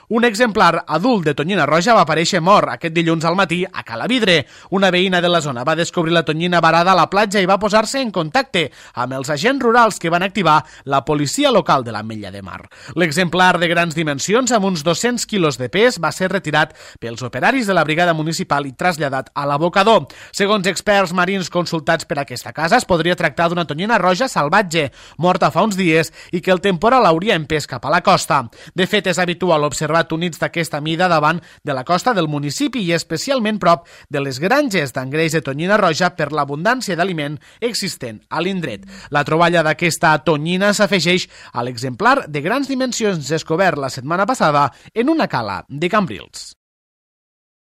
Un exemplar adult de tonyina roja va aparèixer mort aquest dilluns al matí a Calavidre. Una veïna de la zona va descobrir la tonyina varada a la platja i va posar-se en contacte amb els agents rurals que van activar la policia local de l'Ametlla de Mar. L'exemplar de grans dimensions, amb uns 200 quilos de pes, va ser retirat pels operaris de la brigada municipal i traslladat a l'abocador. Segons experts marins consultats per aquesta casa, es podria tractar d'una tonyina roja salvatge, morta fa uns dies i que el temporal hauria empès cap a la costa. De fet, és habitual observar tunits d'aquesta mida davant de la costa del municipi i especialment prop de les granges d'engreix de tonyina roja per l'abundància d'aliment existent a l'indret. La troballa d'aquesta tonyina s'afegeix a l'exemplar de grans dimensions descobert la setmana passada en una cala de Cambrils.